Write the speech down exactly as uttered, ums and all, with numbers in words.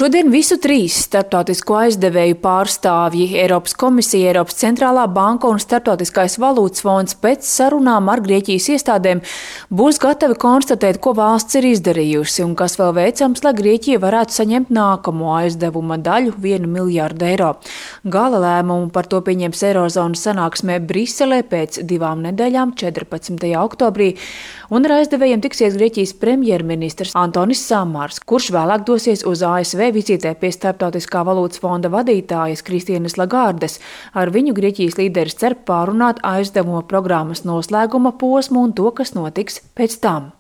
Šodien visu trīs starptautisko aizdevēju pārstāvji – Eiropas komisija, Eiropas centrālā banka un Starptautiskais valūtas fonds pēc sarunām ar Grieķijas iestādēm būs gatavi konstatēt, ko valsts ir izdarījusi un kas vēl veicams, lai Grieķija varētu saņemt nākamo aizdevuma daļu – vienu miljārdu eiro. Gala lēmumu par to pieņems Eirozonas sanāksmē Briselē pēc divām nedēļām, četrpadsmitajā oktobrī, un ar aizdevējiem tiksies Grieķijas premjerministrs Antonis Samars, kurš vēlāk dosies uz A S V vizītē pie Starptautiskā valūtas fonda vadītājas Kristienes Lagardes. Ar viņu Grieķijas līderis cer pārunāt aizdevuma programmas noslēguma posmu un to, kas notiks pēc tam.